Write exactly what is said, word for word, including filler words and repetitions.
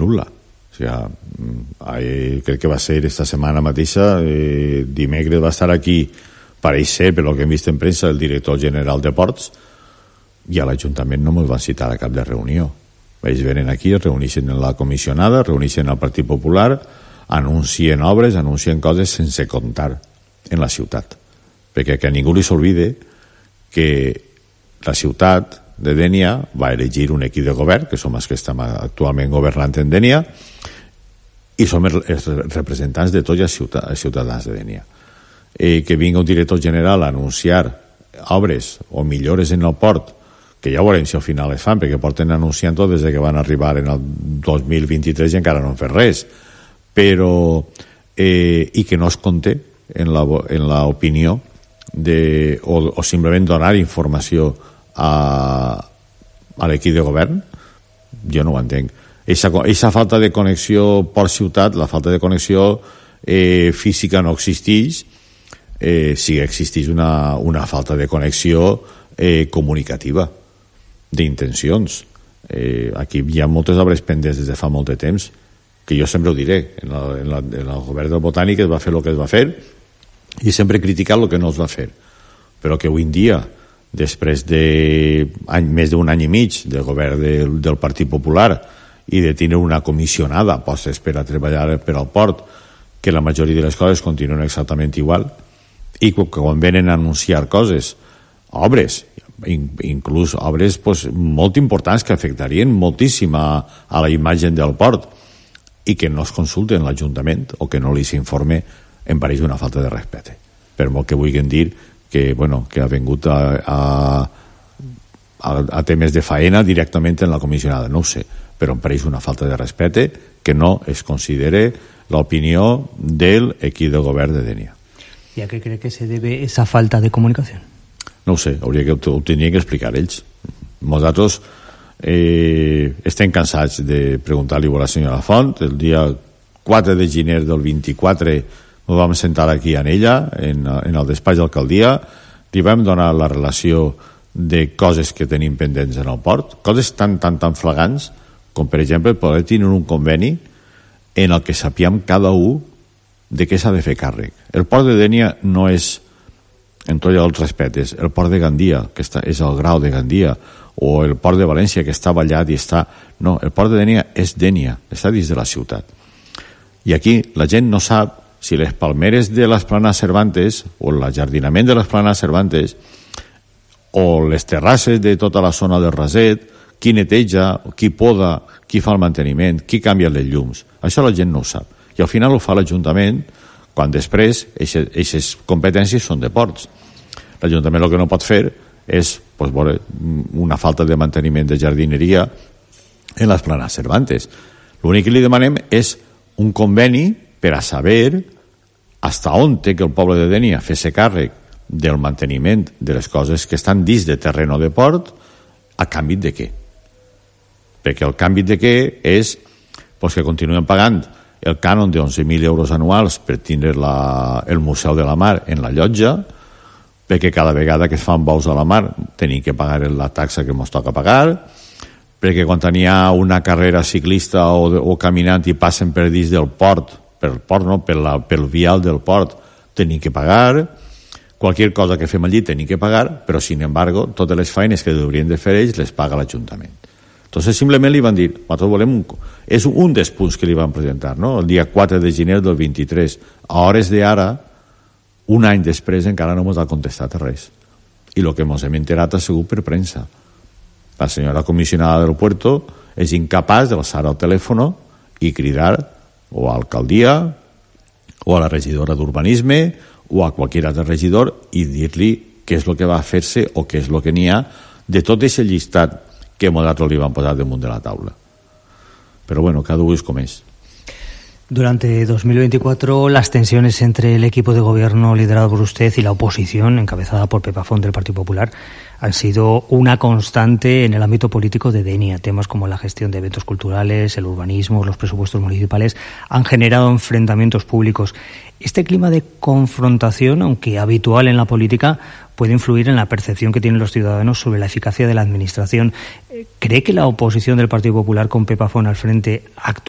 nul·la. O sigui, eh, crec que va ser esta setmana mateixa, eh, dimecres va estar aquí, pareix ser, per el que hem vist en premsa, el director general de Ports, i a l'Ajuntament no ens van citar a cap de reunió. Ells venen aquí, es reuneixen en la comissionada, reuneixen el Partit Popular, anuncien obres, anuncien coses sense comptar en la ciutat. Perquè que a ningú li s'olvide que la ciutat de Dénia va elegir un equip de govern, que som els que estem actualment governant en Dénia, i som els representants de tots els ciutadans de Dénia. Eh, que vingui un director general a anunciar obres o millores en el port, que ja veurem si al final es fan, perquè porten anunciant-ho des que van arribar en el dos mil vint-i-tres i encara no han fet res, però eh, i que no es conté en la, en la opinió de, o, o simplement donar informació a, a l'equip de govern, jo no ho entenc. Eixa falta de connexió port-ciutat, la falta de connexió eh, física no existeix, eh, sí que existeix una, una falta de connexió eh, comunicativa, d'intencions. Eh, aquí hi ha moltes obres pendents des de fa molt de temps, que jo sempre ho diré, en, la, en, la, en el govern del Botànic es va fer el que es va fer i sempre he criticat el que no es va fer, però que avui en dia, després de any, més d'un any i mig del govern del, del Partit Popular i de tenir una comissionada postes per a treballar per al port, que la majoria de les coses continuen exactament igual, i que quan venen a anunciar coses, obres, inclús obres pues, molt importants que afectarien moltíssim a, a la imatge del port, i que no es consulten l'Ajuntament o que no li s'informe, em pareix una falta de respecte, per molt que vulguin dir que, bueno, que ha vingut a, a, a, a temes de faena directament en la comissionada, no ho sé, però em pareix una falta de respecte que no es considere l'opinió del equip de govern de Dénia. ¿Y a qué cree que se debe esa falta de comunicación? No ho sé, hauria que, ho tindrien que explicar ells. Nosaltres eh, estem cansats de preguntar-li a la senyora Font. El dia quatre de gener del vint-i-quatre ens vam sentar aquí en ella, en, en el despatx d'alcaldia, li vam donar la relació de coses que tenim pendents en el port, coses tan, tan, tan flagants com, per exemple, poder tenir un conveni en el que sapiem cada un de què s'ha de fer càrrec. El port de Dénia no és, en tots els respectes, el port de Gandia, que està, és el grau de Gandia, o el port de València, que està ballat i està... No, el port de Dénia és Dénia, està dins de la ciutat. I aquí la gent no sap si les palmeres de l'Esplanada Cervantes, o l'ajardinament de l'Esplanada Cervantes, o les terrasses de tota la zona del Raset, qui neteja, qui poda, qui fa el manteniment, qui canvia les llums. Això la gent no ho sap. I al final ho fa l'Ajuntament, quan després aquestes competències són de ports. L'Ajuntament el que no pot fer és pues, veure, una falta de manteniment de jardineria en l'Esplanada Cervantes. L'únic que li demanem és un conveni per a saber hasta on té que el poble de Dénia fer-se càrrec del manteniment de les coses que estan dins de terreno de port, a canvi de què? Perquè el canvi de què és pues, que continuem pagant el cànon de onze mil euros anuals per tindre la, el Museu de la Mar en la llotja, perquè cada vegada que es fan bous a la mar tenim que pagar la taxa que ens toca pagar, perquè quan hi ha una carrera ciclista o, o caminant i passen per dins del port, per el port no, per la, pel vial del port, tenim que pagar, qualsevol cosa que fem allí tenim que pagar, però sin embargo totes les feines que haurien de fer ells les paga l'Ajuntament. Entonces simplement li van dir, nosaltres volem un... És un dels punts que li van presentar, no? El dia quatre de gener del vint-i-tres. A hores d'ara, un any després, encara no ens ha contestat res. I el que ens hem enterat ha sigut per premsa. La senyora comissionada del puerto és incapaç d'alçar el telèfon i cridar o a l'alcaldia o a la regidora d'urbanisme o a qualsevol altre regidor i dir-li què és el que va fer-se o què és el que n'hi ha de tot aquest llistat que nosaltres li van posar damunt de la taula. Pero bueno, cada uno es como es. Durante dos mil veinticuatro, las tensiones entre el equipo de gobierno liderado por usted y la oposición, encabezada por Pepa Font del Partido Popular, han sido una constante en el ámbito político de Dénia. Temas como la gestión de eventos culturales, el urbanismo, los presupuestos municipales han generado enfrentamientos públicos. Este clima de confrontación, aunque habitual en la política, puede influir en la percepción que tienen los ciudadanos sobre la eficacia de la administración. ¿Cree que la oposición del Partido Popular con Pepa Font al frente actúa